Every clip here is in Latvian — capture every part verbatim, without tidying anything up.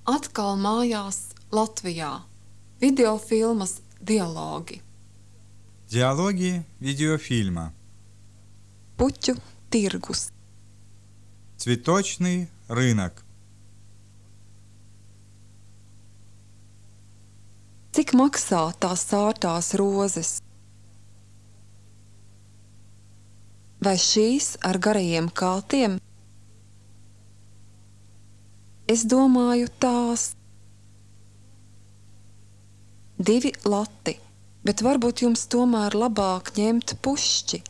Atkal mājās Latvijā. Videofilmas dialogi. Диалоги видеофильма. Puķu tirgus. Цветочный рынок. Cik maksā tās sārtās rozes? Vai šīs ar garajiem kātiem? Es domāju tās. Divi lati, bet varbūt jums tomēr labāk ņemt pušķi,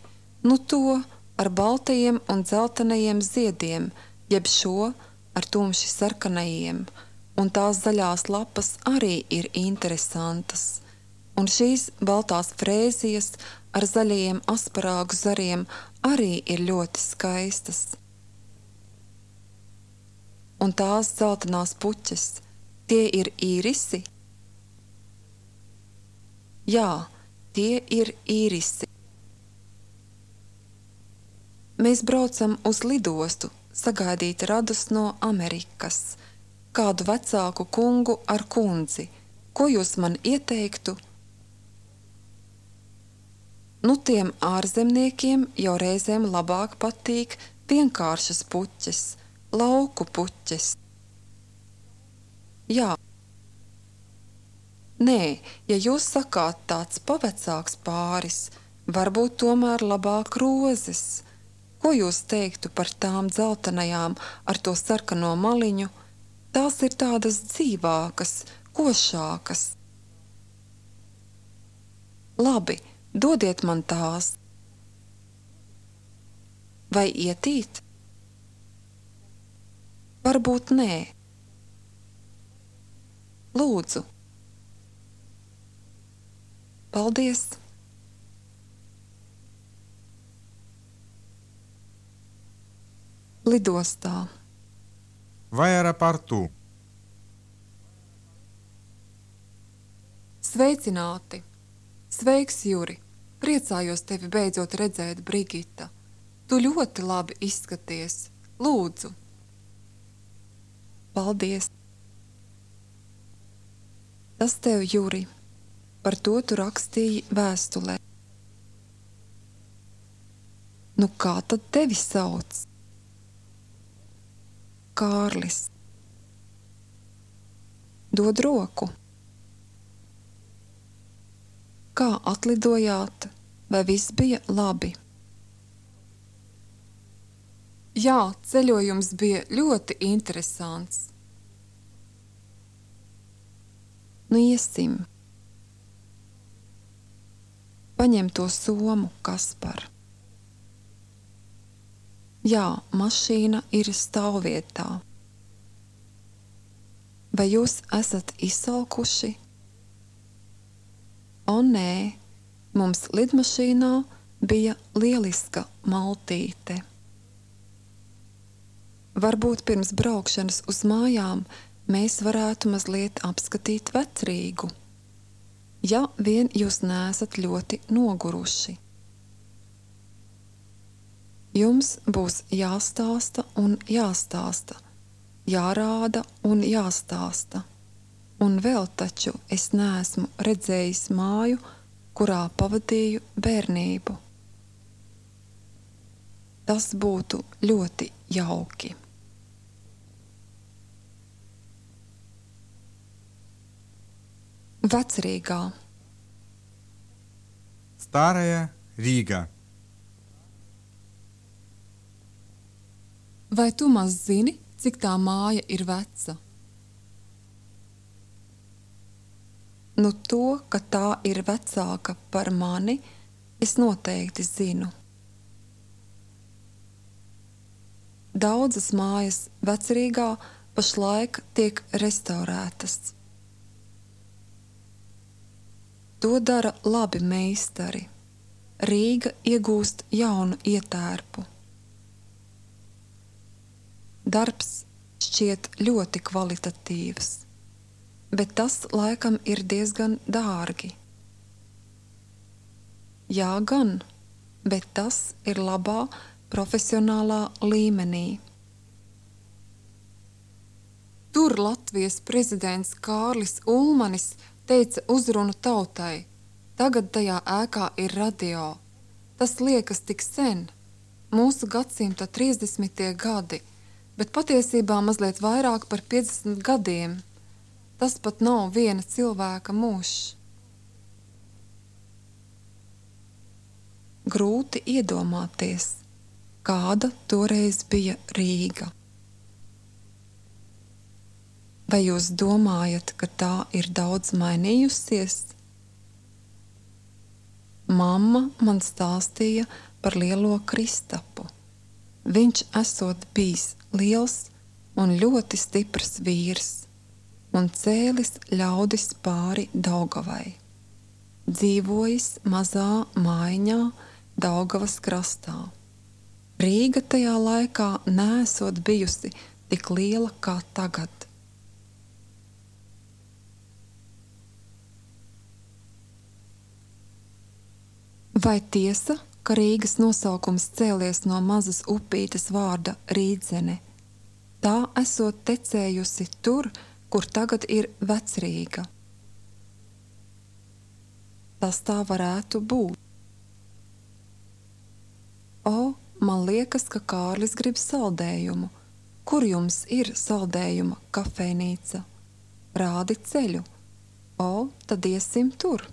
nu to ar baltajiem un dzeltenajiem ziediem, jeb šo ar tumši sarkanajiem, un tās zaļās lapas arī ir interesantas, un šīs baltās frēzijas ar zaļajiem asparāgu zariem arī ir ļoti skaistas. Un tās dzeltenās puķes, tie ir īrisi? Jā, tie ir īrisi. Mēs braucam uz lidostu sagaidīt radus no Amerikas, kādu vecāku kungu ar kundzi. Ko jūs man ieteiktu? Nu, tiem ārzemniekiem jau reizēm labāk patīk vienkāršas puķes, lauku puķes. Jā. Nē, ja jūs sakāt tāds pavecāks pāris, varbūt tomēr labāk rozes. Ko jūs teiktu par tām dzeltenajām ar to sarkano maliņu? Tās ir tādas dzīvākas, košākas. Labi, dodiet man tās. Vai ietīt? Varbūt nē. Lūdzu. Paldies! Lidostā. В аэропорту. Sveicināti! Sveiks, Juri! Priecājos tevi beidzot redzēt, Brigita. Tu ļoti labi izskaties. Lūdzu! Paldies! Tas tev, Juri! Par to tu rakstīji vēstulē. Nu kā tad tevi sauc? Kārlis. Dod roku. Kā atlidojāt? Vai viss bija labi? Jā, ceļojums bija ļoti interesants. Nu iesim. Paņem to somu, Kaspar. Jā, mašīna ir stāvvietā. Vai jūs esat izsalkuši? O nē, mums lidmašīnā bija lieliska maltīte. Varbūt pirms braukšanas uz mājām mēs varētu mazliet apskatīt Vecrīgu. Ja vien jūs neesat ļoti noguruši. Jums būs jāstāsta un jāstāsta, jārāda un jāstāsta. Un vēl taču es neesmu redzējis māju, kurā pavadīju bērnību. Tas būtu ļoti jauki. Vecrīgā. Старая Рига. Vai tu maz zini, cik tā māja ir veca? Nu to, ka tā ir vecāka par mani, es noteikti zinu. Daudzas mājas Vecrīgā pašlaik tiek restaurētas. To dara labi meistari. Rīga iegūst jaunu ietērpu. Darbs šķiet ļoti kvalitatīvs, bet tas laikam ir diezgan dārgi. Jā gan, bet tas ir labā profesionālā līmenī. Tur Latvijas prezidents Kārlis Ulmanis teica uzrunu tautai. Tagad tajā ēkā ir radio. Tas liekas tik sen, mūsu gadsimta trīsdesmitie gadi, bet patiesībā mazliet vairāk par piecdesmit gadiem. Tas pat nav viena cilvēka mūžs. Grūti iedomāties, kāda toreiz bija Rīga. Vai jūs domājat, ka tā ir daudz mainījusies? Mamma man stāstīja par lielo Kristapu. Viņš esot bijis liels un ļoti stiprs vīrs un cēlis ļaudis pāri Daugavai. Dzīvojis mazā mājiņā Daugavas krastā. Rīga tajā laikā neesot bijusi tik liela kā tagad. Vai tiesa, ka Rīgas nosaukums cēlies no mazas upītes vārda Rīdzene? Tā esot tecējusi tur, kur tagad ir Vecrīga. Tas tā varētu būt. O, man liekas, ka Kārlis grib saldējumu. Kur jums ir saldējuma kafejnīca? Rādi ceļu. O, tad iesim tur.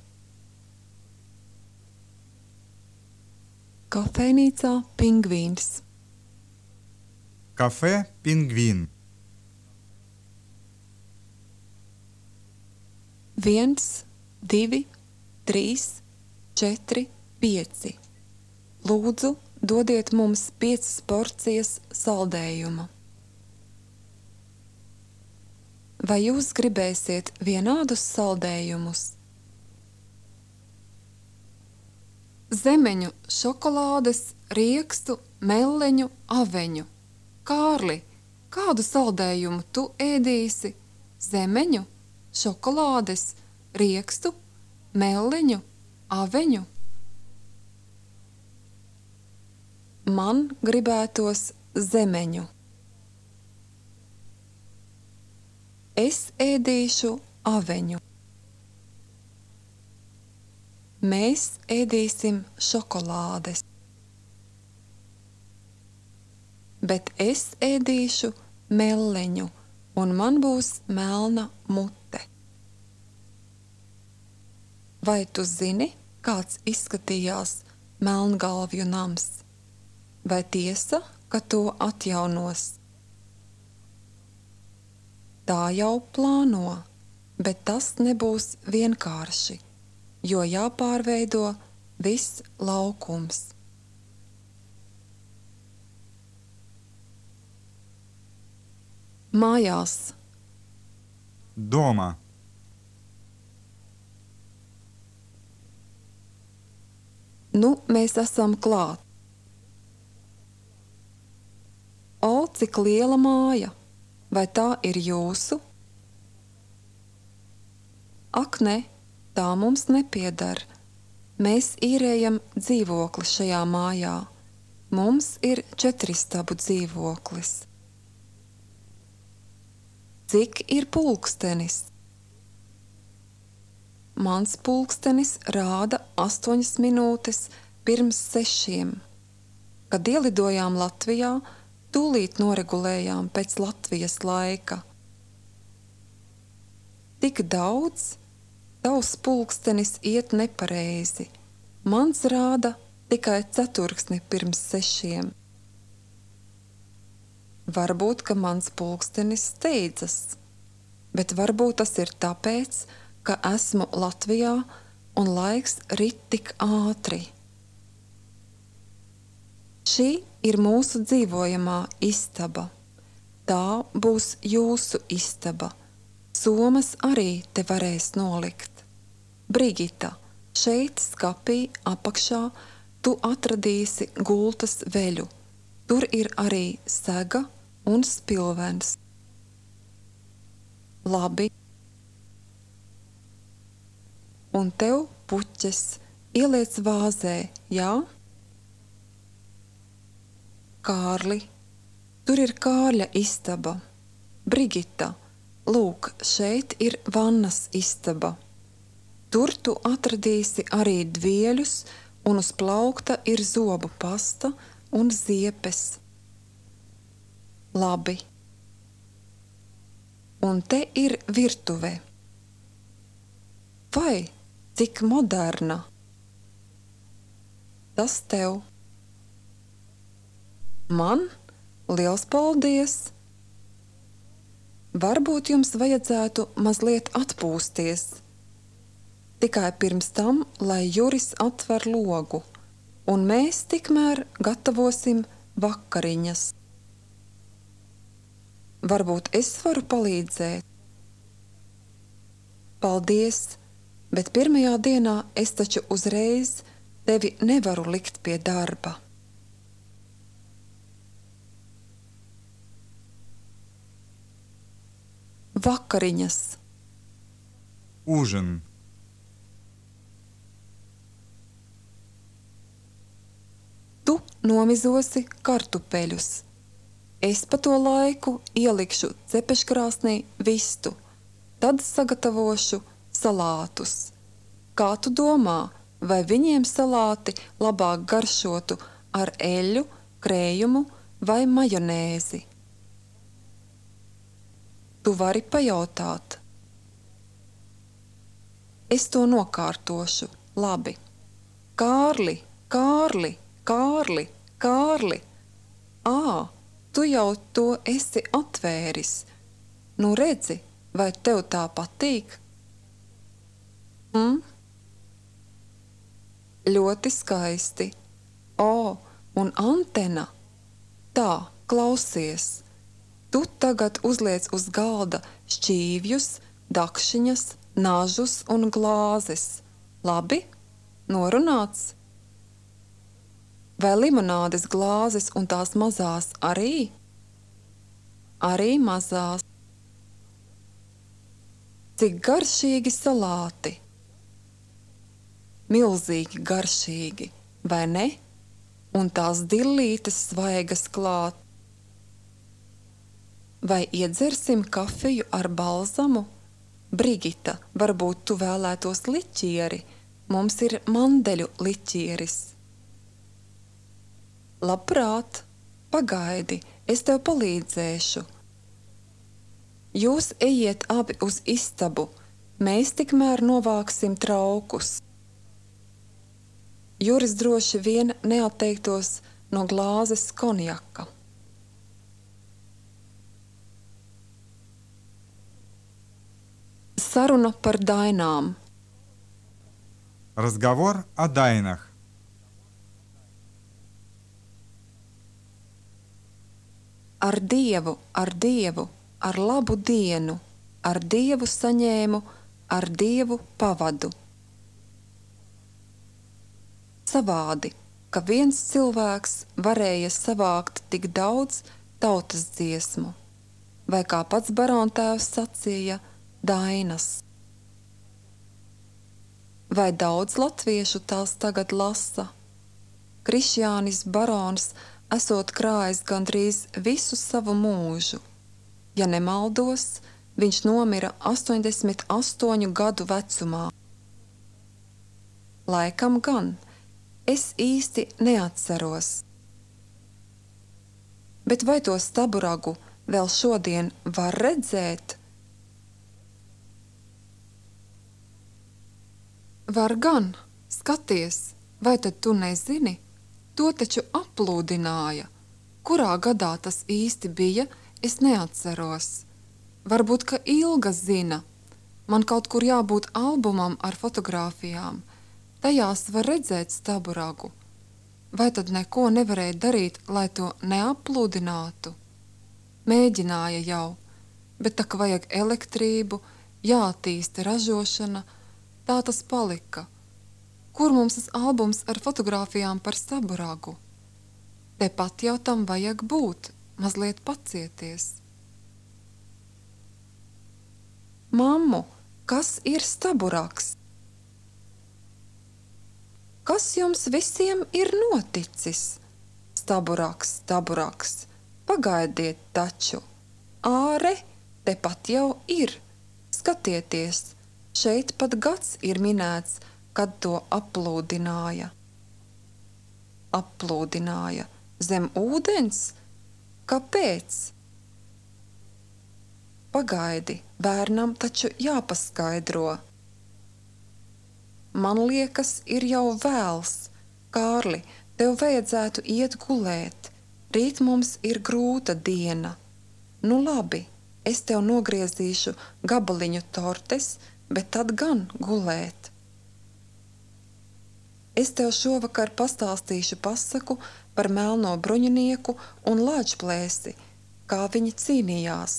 Kafejnīcā Pingvīns. Кафе «Пингвин». Viens, divi, trīs, četri, pieci. Lūdzu, dodiet mums piecas porcijas saldējuma. Vai jūs gribēsiet vienādus saldējumus? Zemeņu, šokolādes, riekstu, melleņu, aveņu. Kārli, kādu saldējumu tu ēdīsi? Zemeņu, šokolādes, riekstu, melleņu, aveņu? Man gribētos zemeņu. Es ēdīšu aveņu. Mēs ēdīsim šokolādes. Bet es ēdīšu melleņu, un man būs melna mute. Vai tu zini, kāds izskatījās Melngalvju nams? Vai tiesa, ka to atjaunos? Tā jau plāno, bet tas nebūs vienkārši, jo jāpārveido viss laukums. Mājās. Дома. Nu, mēs esam klāt. O, cik liela māja! Vai tā ir jūsu? Ak, ne, tā mums nepieder. Mēs īrējam dzīvokli šajā mājā. Mums ir četristabu dzīvoklis. Cik ir pulkstenis? Mans pulkstenis rāda astoņas minūtes pirms sešiem. Kad ielidojām Latvijā, tūlīt noregulējām pēc Latvijas laika. Tik daudz, tavs pulkstenis iet nepareizi. Mans rāda tikai ceturksni pirms sešiem. Varbūt, ka mans pulkstenis steidzas, bet varbūt tas ir tāpēc, ka esmu Latvijā un laiks rit tik ātri. Šī ir mūsu dzīvojamā istaba. Tā būs jūsu istaba. Somas arī te varēs nolikt. Brigita, šeit skapī apakšā tu atradīsi gultas veļu. Tur ir arī sega un spilvens. Labi. Un tev puķes ieliec vāzē, jā? Kārli, tur ir Kārļa istaba. Brigita, lūk, šeit ir vannas istaba. Tur tu atradīsi arī dvieļus, un uz plaukta ir zobu pasta un ziepes. Labi. Un te ir virtuve. Vai, cik moderna? Tas tev. Man? Liels paldies! Varbūt jums vajadzētu mazliet atpūsties. Tikai pirms tam, lai Juris atver logu, un mēs tikmēr gatavosim vakariņas. Varbūt es varu palīdzēt? Paldies, bet pirmajā dienā es taču uzreiz tevi nevaru likt pie darba. Vakariņas. Ужин. Tu nomizosi kartupeļus. Es pa to laiku ielikšu cepeškrāsnī vistu, tad sagatavošu salātus. Kā tu domā, vai viņiem salāti labāk garšotu ar eļļu, krējumu vai majonēzi? Tu vari pajautāt. Es to nokārtošu, labi. Kārli, Kārli, Kārli, Kārli! Ā, tu jau to esi atvēris. Nu redzi, vai tev tā patīk? Hm? Ļoti skaisti. O, un antena. Tā, klausies. Tu tagad uzliec uz galda šķīvjus, dakšiņas, nažus un glāzes. Labi? Norunāts? Vai limonādes glāzes un tās mazās arī? Arī mazās. Cik garšīgi salāti. Milzīgi garšīgi, vai ne? Un tās dillītes svaigas klāt. Vai iedzersim kafiju ar balzamu? Brigita, varbūt tu vēlētos liķieri? Mums ir mandeļu liķieris. Labprāt, pagaidi, es tev palīdzēšu. Jūs ejiet abi uz istabu, mēs tikmēr novāksim traukus. Juris droši vien neatteiktos no glāzes konjaka. Saruna par dainām. Разговор о дайнах. Ar Dievu, ar Dievu, ar labu dienu, ar Dievu saņēmu, ar Dievu pavadu. Savādi, ka viens cilvēks varēja savākt tik daudz tautas dziesmu, vai kā pats barontēvs sacīja, dainas. Vai daudz latviešu tās tagad lasa? Krišjānis barons esot krājis gandrīz visu savu mūžu. Ja nemaldos, viņš nomira astoņdesmit astoņu gadu vecumā. Laikam gan, es īsti neatceros. Bet vai to staburagu vēl šodien var redzēt? Var gan, skaties, vai tad tu nezini? To taču aplūdināja. Kurā gadā tas īsti bija, es neatceros. Varbūt, ka Ilga zina. Man kaut kur jābūt albumam ar fotogrāfijām. Tajās var redzēt staburagu. Vai tad neko nevarēja darīt, lai to neaplūdinātu? Mēģināja jau, bet tā kā vajag elektrību, jātīsta ražošana, tā tas palika. Kur mums tas albums ar fotogrāfijām par staburagu? Tepat jau tam vajag būt, mazliet pacieties. Mammu, kas ir staburags? Kas jums visiem ir noticis? Staburaks, staburaks, pagaidiet taču. Āre, tepat jau ir. Skatieties, šeit pat gads ir minēts, kad to aplūdināja. Aplūdināja zem ūdens? Kāpēc? Pagaidi, bērnam taču jāpaskaidro. Man liekas, ir jau vēls. Kārli, tev vajadzētu iet gulēt. Rīt mums ir grūta diena. Nu labi, es tev nogriezīšu gabaliņu tortes, bet tad gan gulēt. Es tev šovakar pastāstīšu pasaku par melno bruņinieku un lāčplēsi, kā viņi cīnījās.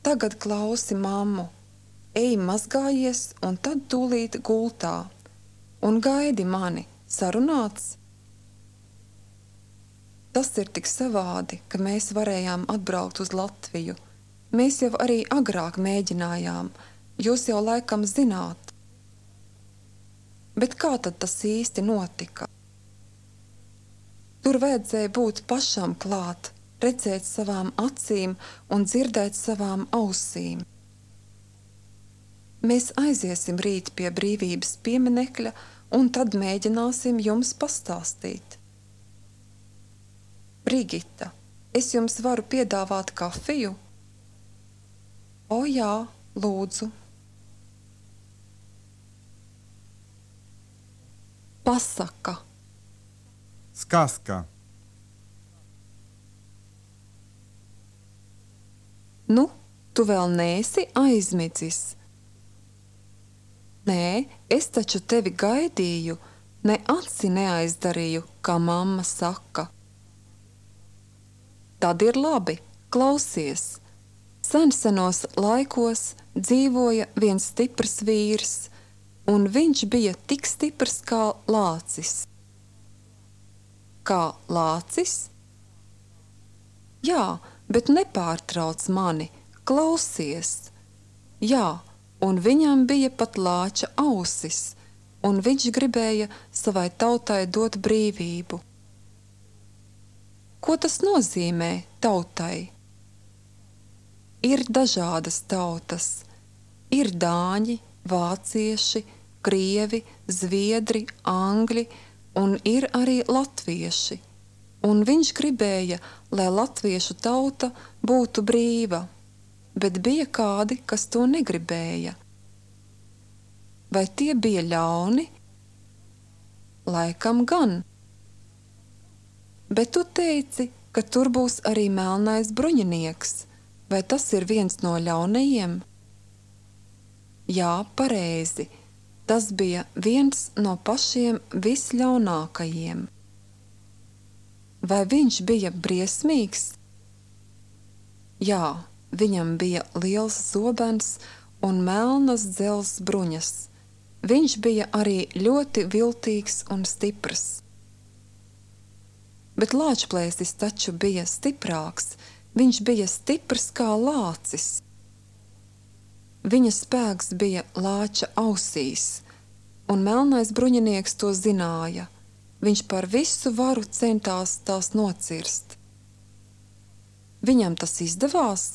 Tagad klausi mammu, ej mazgājies un tad tūlīt gultā. Un gaidi mani, sarunāts? Tas ir tik savādi, ka mēs varējām atbraukt uz Latviju. Mēs jau arī agrāk mēģinājām, jūs jau laikam zināt. Bet kā tad tas īsti notika? Tur vajadzēja būt pašam klāt, redzēt savām acīm un dzirdēt savām ausīm. Mēs aiziesim rīt pie brīvības pieminekļa un tad mēģināsim jums pastāstīt. Brigita, es jums varu piedāvāt kafiju? O jā, lūdzu. Pasaka. Сказка. Nu, tu vēl neesi aizmidzis. Nē, es taču tevi gaidīju, ne aci neaizdarīju, kā mamma saka. Tad ir labi, klausies. Sensenos laikos dzīvoja viens stiprs vīrs, un viņš bija tik stiprs kā lācis. Kā lācis? Jā, bet nepārtrauc mani, klausies. Jā, un viņam bija pat lāča ausis, un viņš gribēja savai tautai dot brīvību. Ko tas nozīmē tautai? Ir dažādas tautas. Ir dāņi, vācieši, krievi, zviedri, angļi, un ir arī latvieši. Un viņš gribēja, lai latviešu tauta būtu brīva, bet bija kādi, kas to negribēja. Vai tie bija ļauni? Laikam gan. Bet tu teici, ka tur būs arī melnais bruņinieks. Vai tas ir viens no ļaunajiem? Jā, pareizi. Tas bija viens no pašiem visļaunākajiem. Vai viņš bija briesmīgs? Jā, viņam bija liels zobens un melnas dzelzs bruņas. Viņš bija arī ļoti viltīgs un stiprs. Bet lāčplēsis taču bija stiprāks. Viņš bija stiprs kā lācis. Viņa spēks bija lāča ausīs, un melnais bruņinieks to zināja. Viņš par visu varu centās tās nocirst. Viņam tas izdevās?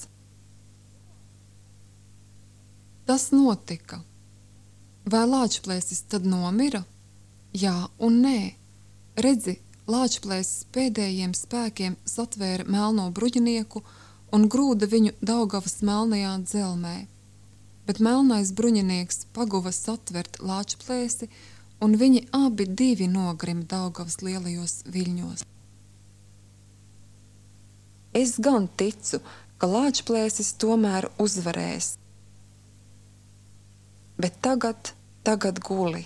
Tas notika. Vai lāčplēsis tad nomira? Jā un nē. Redzi, lāčplēsis pēdējiem spēkiem satvēra melno bruņinieku un grūda viņu Daugavas melnajā dzelmē. Bet melnais bruņinieks paguva satvert lāčplēsi, un viņi abi divi nogrima Daugavas lielajos viļņos. Es gan ticu, ka lāčplēsis tomēr uzvarēs. Bet tagad, tagad guli.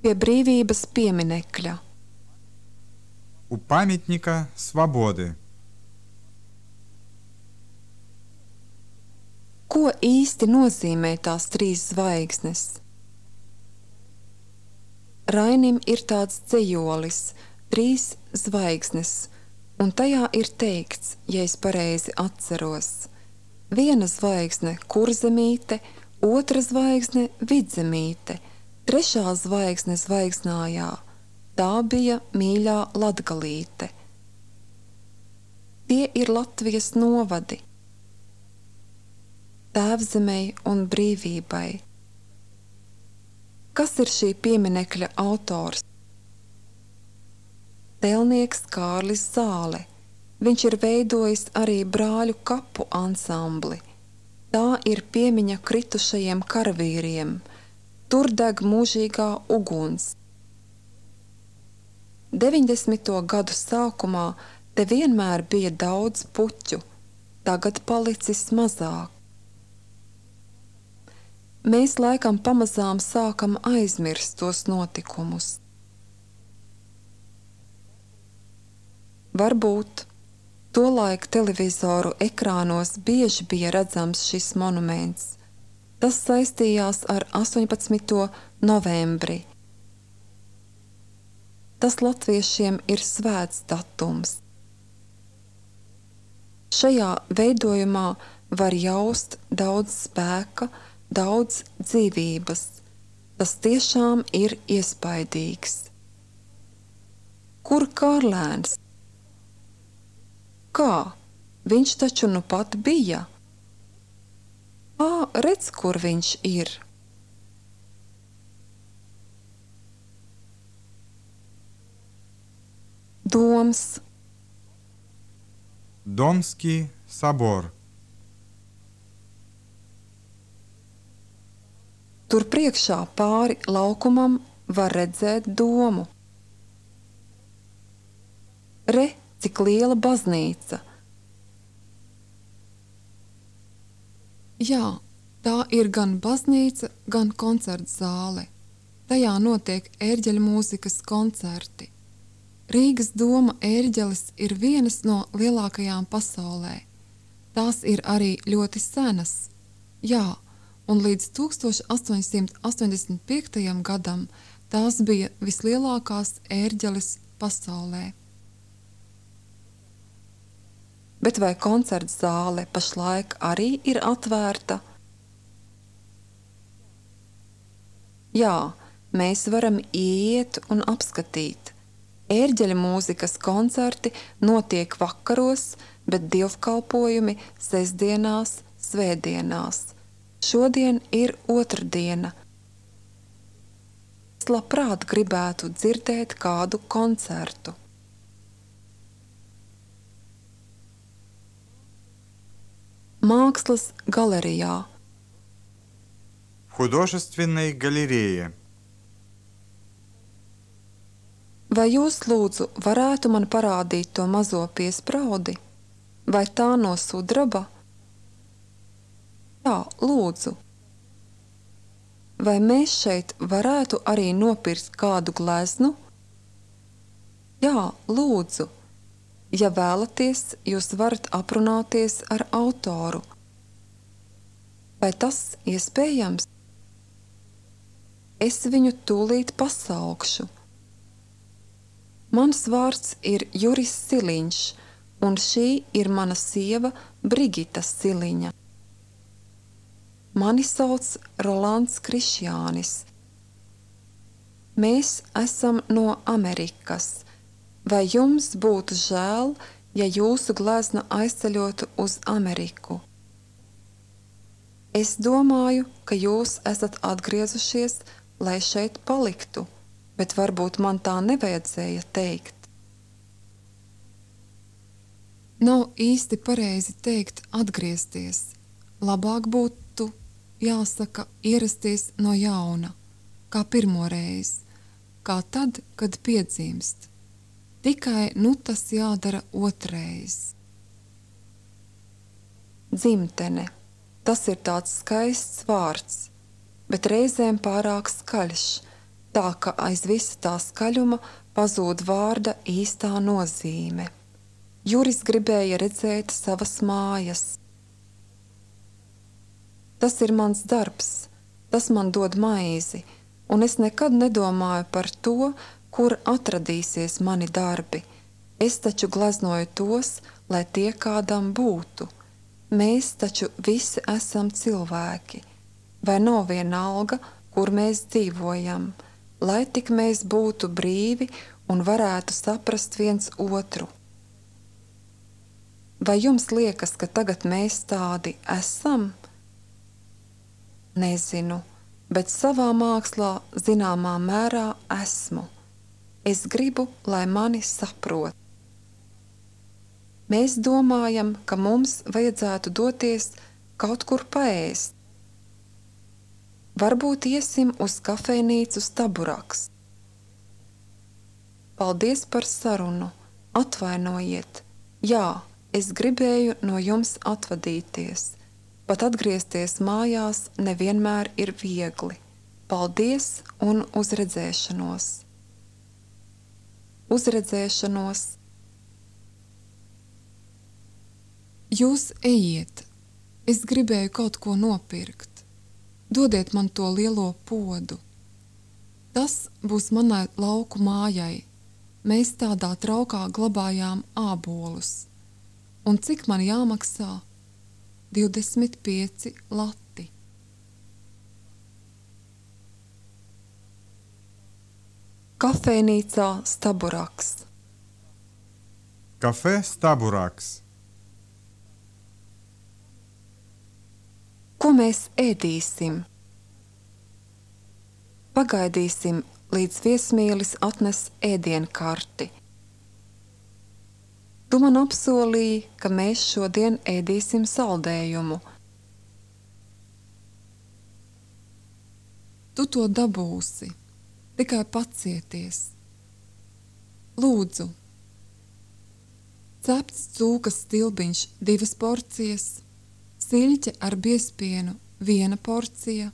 Pie brīvības pieminekļa. У памятника свободы. Ko īsti nozīmē tās trīs zvaigznes? Rainim ir tāds dzejolis, trīs zvaigznes, un tajā ir teikts, ja es pareizi atceros. Viena zvaigzne kurzemīte, otra zvaigzne vidzemīte, trešā zvaigzne zvaigznājā. Tā bija mīļā Latgalīte. Tie ir Latvijas novadi. Tēvzemei un brīvībai. Kas ir šī pieminekļa autors? Tēlnieks Kārlis Zāle. Viņš ir veidojis arī brāļu kapu ansambli. Tā ir piemiņa kritušajiem karavīriem. Tur deg mūžīgā uguns. deviņdesmito gadu sākumā te vienmēr bija daudz puķu, tagad palicis mazāk. Mēs laikam pamazām sākam aizmirst tos notikumus. Varbūt tolaik televizoru ekrānos bieži bija redzams šis monuments. Tas saistījās ar astoņpadsmito novembri. Tas latviešiem ir svēts datums. Šajā veidojumā var jaust daudz spēka, daudz dzīvības. Tas tiešām ir iespaidīgs. Kur Kārlēns? Kā? Viņš taču nu pat bija. Ā, redz, kur viņš ir. Doms. Домский собор. Tur priekšā pāri laukumam var redzēt domu. Re, cik liela baznīca. Jā, tā ir gan baznīca, gan koncerta zāle. Tajā notiek ērģeļu mūzikas koncerti. Rīgas doma ērģeles ir vienas no lielākajām pasaulē. Tās ir arī ļoti senas. Jā, un līdz tūkstoš astoņsimt astoņdesmit piektajam gadam tās bija vislielākās ērģeles pasaulē. Bet vai koncerta zāle pašlaik arī ir atvērta? Jā, mēs varam iet un apskatīt. Ērģeļa mūzikas koncerti notiek vakaros, bet dievkalpojumi sestdienās, svētdienās. Šodien ir otrdiena. Es labprāt gribētu dzirdēt kādu koncertu. Mākslas galerijā. В художественной галерее. Vai jūs, lūdzu, varētu man parādīt to mazo piespraudi? Vai tā no sudraba? Jā, lūdzu. Vai mēs šeit varētu arī nopirkt kādu gleznu? Jā, lūdzu. Ja vēlaties, jūs varat aprunāties ar autoru. Vai tas iespējams? Es viņu tūlīt pasaukšu. Mans vārds ir Juris Siliņš, un šī ir mana sieva Brigita Siliņa. Mani sauc Rolands Krišjānis. Mēs esam no Amerikas. Vai jums būtu žēl, ja jūsu glezna aizceļotu uz Ameriku? Es domāju, ka jūs esat atgriezušies, lai šeit paliktu. Bet varbūt man tā nevajadzēja teikt. Nav īsti pareizi teikt atgriezties. Labāk būtu, jāsaka, ierasties no jauna, kā pirmoreiz, kā tad, kad piedzimst. Tikai nu tas jādara otrais. Dzimtene. Tas ir tāds skaists vārds, bet reizēm pārāk skaļš. Tā ka aiz visa tā skaļuma pazūd vārda īstā nozīme. Juris gribēja redzēt savas mājas. Tas ir mans darbs, tas man dod maizi, un es nekad nedomāju par to, kur atradīsies mani darbi. Es taču gleznoju tos, lai tie kādam būtu. Mēs taču visi esam cilvēki, vai nav vienalga, kur mēs dzīvojam, lai tik mēs būtu brīvi un varētu saprast viens otru. Vai jums liekas, ka tagad mēs tādi esam? Nezinu, bet savā mākslā zināmā mērā esmu. Es gribu, lai mani saprot. Mēs domājam, ka mums vajadzētu doties kaut kur paēst. Varbūt iesim uz kafejnīcu Staburaks. Paldies par sarunu. Atvainojiet. Jā, es gribēju no jums atvadīties. Pat atgriezties mājās nevienmēr ir viegli. Paldies un uzredzēšanos. Uzredzēšanos. Jūs ejiet. Es gribēju kaut ko nopirkt. Dodiet man to lielo podu. Tas būs manai lauku mājai. Mēs tādā traukā glabājām ābolus. Un cik man jāmaksā? divdesmit pieci lati. Kafejnīcā Staburaks. Kafē Staburaks. Ko mēs ēdīsim? Pagaidīsim, līdz viesmīlis atnes ēdienkarti. Tu man apsolīji, ka mēs šodien ēdīsim saldējumu. Tu to dabūsi, tikai pacieties. Lūdzu, cepts cūkas stilbiņš divas porcijas, siļķe ar biezpienu viena porcija,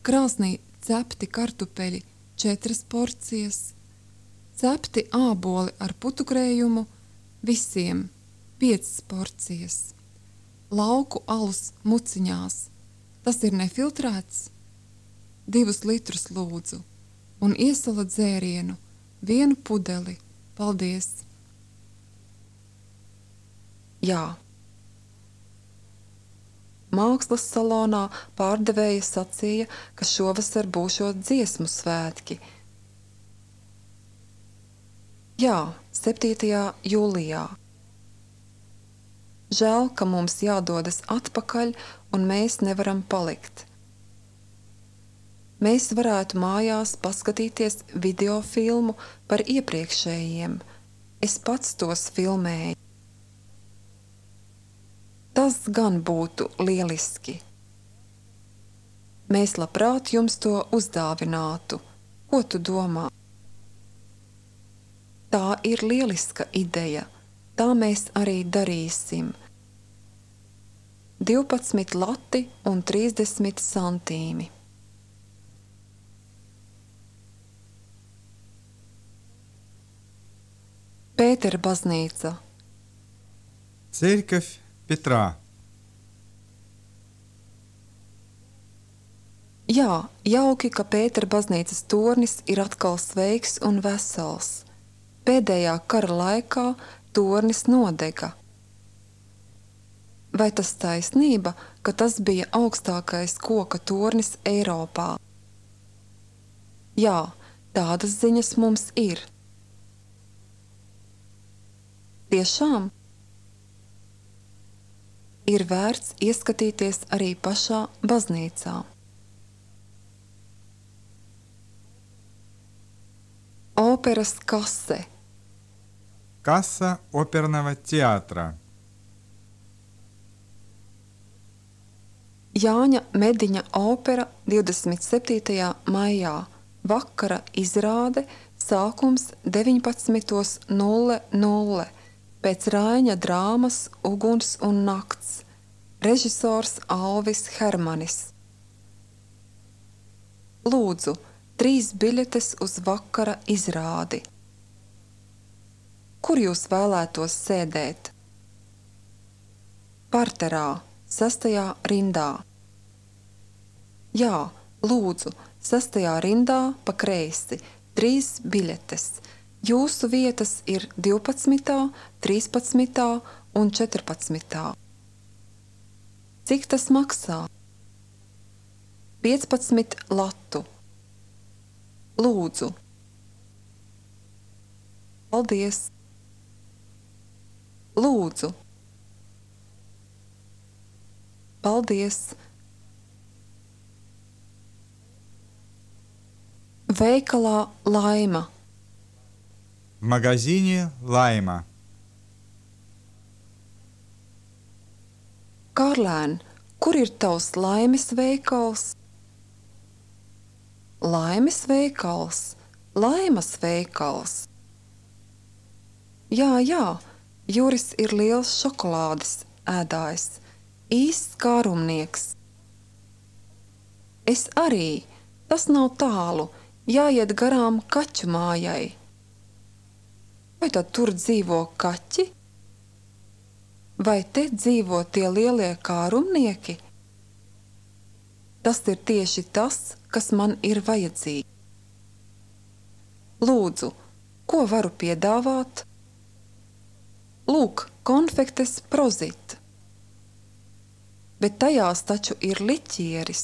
krāsnī cepti kartupeļi četras porcijas, cepti āboli ar putukrējumu visiem piecas porcijas, lauku alus muciņās, tas ir nefiltrēts, divus litrus lūdzu, un iesala dzērienu, vienu pudeli, paldies. Jā. Mākslas salonā pārdevēja sacīja, ka šovasar būšot dziesmu svētki. Jā, septītajā jūlijā. Žēl, ka mums jādodas atpakaļ un mēs nevaram palikt. Mēs varētu mājās paskatīties videofilmu par iepriekšējiem. Es pats tos filmēju. Tas gan būtu lieliski. Mēs labprāt jums to uzdāvinātu. Ko tu domā? Tā ir lieliska ideja. Tā mēs arī darīsim. divpadsmit lati un trīsdesmit santīmi. Pētera baznīca. Церковь Петра. Jā, jauki, ka Pētera baznīcas tornis ir atkal sveiks un vesels. Pēdējā kara laikā tornis nodega. Vai tas taisnība, ka tas bija augstākais koka tornis Eiropā? Jā, tādas ziņas mums ir. Tiešām? Ir vērts ieskatīties arī pašā baznīcā. Operas kase. Касса оперного театра. Jāņa Mediņa opera divdesmit septītajā maijā. Vakara izrāde, sākums deviņpadsmit nulle nulle. Pēc Raiņa drāmas Uguns un nakts. Režisors Alvis Hermanis. Lūdzu, trīs biļetes uz vakara izrādi. Kur jūs vēlētos sēdēt? Parterā, sastajā rindā. Jā, lūdzu, sestajā rindā pa kreisi, trīs biļetes. Jūsu vietas ir divpadsmitā, trīspadsmitā un četrpadsmitā. Cik tas maksā? piecpadsmit latu. Lūdzu. Paldies. Lūdzu. Paldies. Veikalā Laima. В магазине Лайма. Kārlēn, kur ir tavs Laimes veikals? Laimes veikals, Laimas veikals. Jā, jā, Juris ir liels šokolādes ēdājs, īsts kārumnieks. Es arī, tas nav tālu, jāiet garām kaķu mājai. Vai tad tur dzīvo kaķi? Vai te dzīvo tie lielie kārumnieki? Tas ir tieši tas, kas man ir vajadzīgi. Lūdzu, ko varu piedāvāt? Lūk, konfektes Prozit. Bet tajās taču ir liķieris.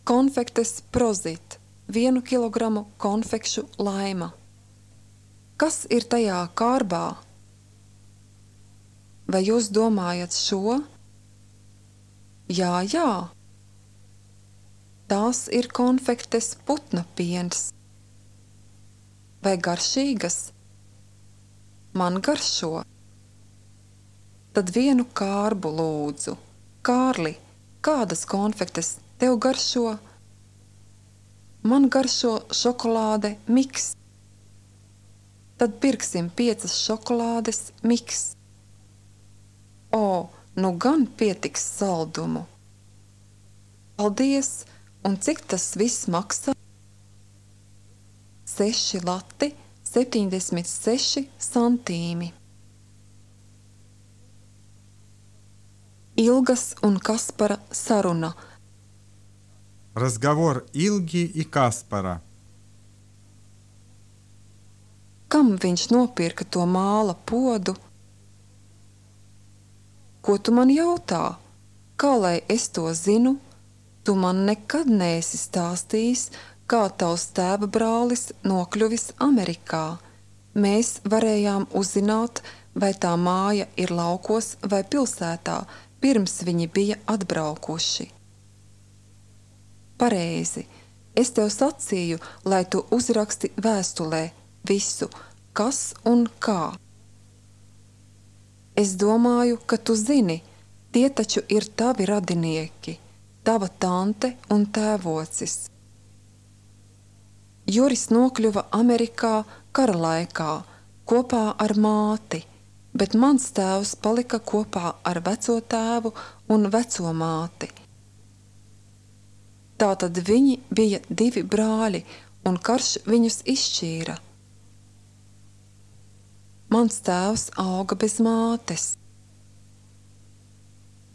Konfektes Prozit. Vienu kilogramu konfekšu Laima. Kas ir tajā kārbā? Vai jūs domājat šo? Jā, jā. Tās ir konfektes putna piens. Vai garšīgas? Man garšo. Tad vienu kārbu lūdzu. Kārli, kādas konfektes tev garšo? Man garšo šokolāde miks. Tad pirksim piecas šokolādes miks. O, nu gan pietiks saldumu. Paldies, un cik tas viss maksā? Seši lati, septiņdesmit seši santīmi. Ilgas un Kaspara saruna. Разговор Илги и Каспара. Kam viņš nopirka to māla podu? Ko tu man jautā? Kā lai es to zinu? Tu man nekad neesi stāstījis, kā tavs tēva brālis nokļuvis Amerikā. Mēs varējām uzzināt, vai tā māja ir laukos vai pilsētā, pirms viņi bija atbraukuši. Pareizi, es tev sacīju, lai tu uzraksti vēstulē visu, kas un kā. Es domāju, ka tu zini, tie taču ir tavi radinieki, tava tante un tēvocis. Juris nokļuva Amerikā kara laikā kopā ar māti, bet mans tēvs palika kopā ar veco tēvu un veco māti. Tātad viņi bija divi brāļi, un karš viņus izšķīra. Mans tēvs auga bez mātes.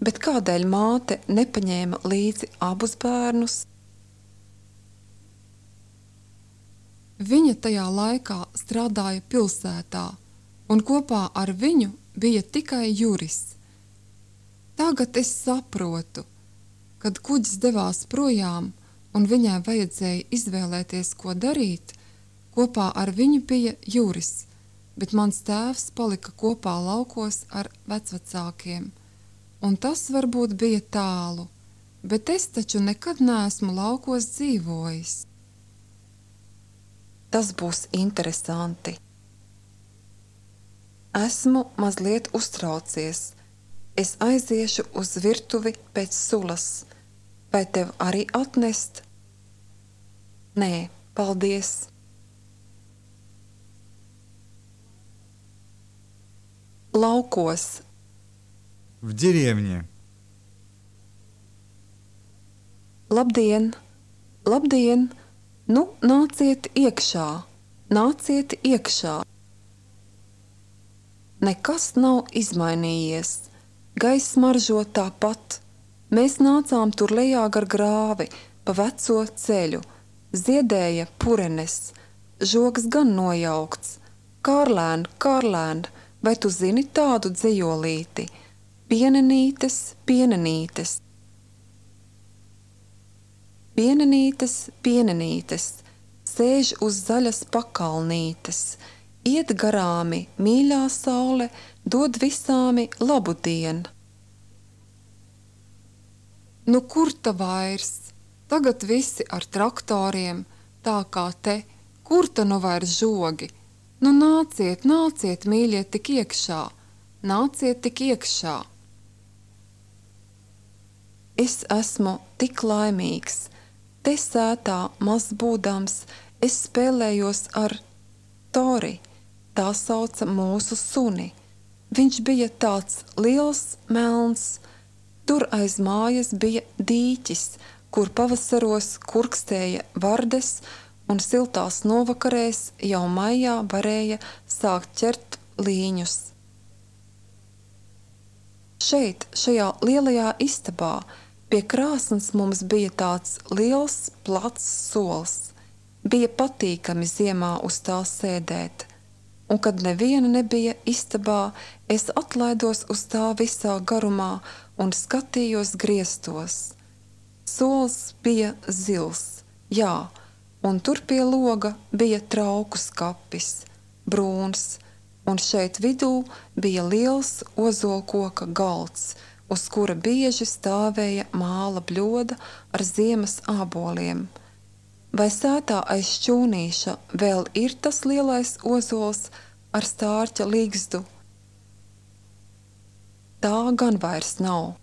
Bet kādēļ māte nepaņēma līdzi abus bērnus? Viņa tajā laikā strādāja pilsētā, un kopā ar viņu bija tikai Juris. Tagad es saprotu, kad kuģis devās projām un viņai vajadzēja izvēlēties, ko darīt, kopā ar viņu bija Juris, bet mans tēvs palika kopā laukos ar vecvecākiem, un tas varbūt bija tālu, bet es taču nekad neesmu laukos dzīvojis. Tas būs interesanti. Esmu mazliet uztraucies. Es aiziešu uz virtuvi pēc sulas. Vai tev arī atnest? Nē, paldies. Laukos. В деревне. Labdien, labdien, nu nāciet iekšā, nāciet iekšā. Nekas nav izmainījies, gaiss smaržo tāpat, Mēs nācām tur lejā gar grāvi, pa veco ceļu. Ziedēja purenes, žogs gan nojaukts. Kārlēn, Kārlēn, vai tu zini tādu dzejolīti? Pienenītes, pienenītes. Pienenītes, pienenītes, sēž uz zaļas pakalnītes. Iet garāmi, mīļā saule, dod visāmi labu dienu. Nu kur ta vairs? Tagad visi ar traktoriem, tā kā te, kur ta nu vairs žogi? Nu nāciet, nāciet, mīļie, tik iekšā, nāciet tik iekšā. Es esmu tik laimīgs, te sētā maz būdams, es spēlējos ar Tori, tā sauca mūsu suni. Viņš bija tāds liels melns, tur aiz mājas bija dīķis, kur pavasaros kurkstēja vardes un siltās novakarēs jau maijā varēja sākt ķert līņus. Šeit, šajā lielajā istabā, pie krāsns mums bija tāds liels, plats sols. Bija patīkami ziemā uz tā sēdēt, un kad neviena nebija istabā, es atlaidos uz tā visā garumā un skatījos griestos. Sols bija zils, jā, un tur pie loga bija trauku skapis, brūns, un šeit vidū bija liels ozolkoka galds, uz kura bieži stāvēja māla bļoda ar ziemas āboliem. Vai sētā aiz šķūnīša vēl ir tas lielais ozols ar stārķa līgzdu? Tā gan vairs nav.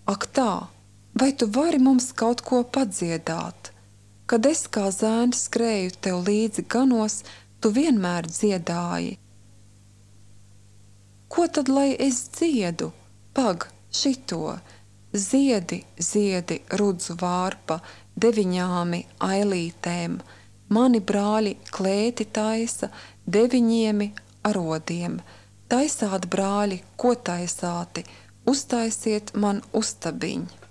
Ak tā, vai tu vari mums kaut ko padziedāt? Kad es kā zēns skrēju tev līdzi ganos, tu vienmēr dziedāji. Ko tad lai es dziedu? Pag, šito. Ziedi, ziedi, rudzu vārpa, deviņāmi ailītēm. Mani brāļi klēti taisa, deviņiemi arodiem. Taisāt, brāļi, ko taisāti? Uztaisiet man ustabiņu.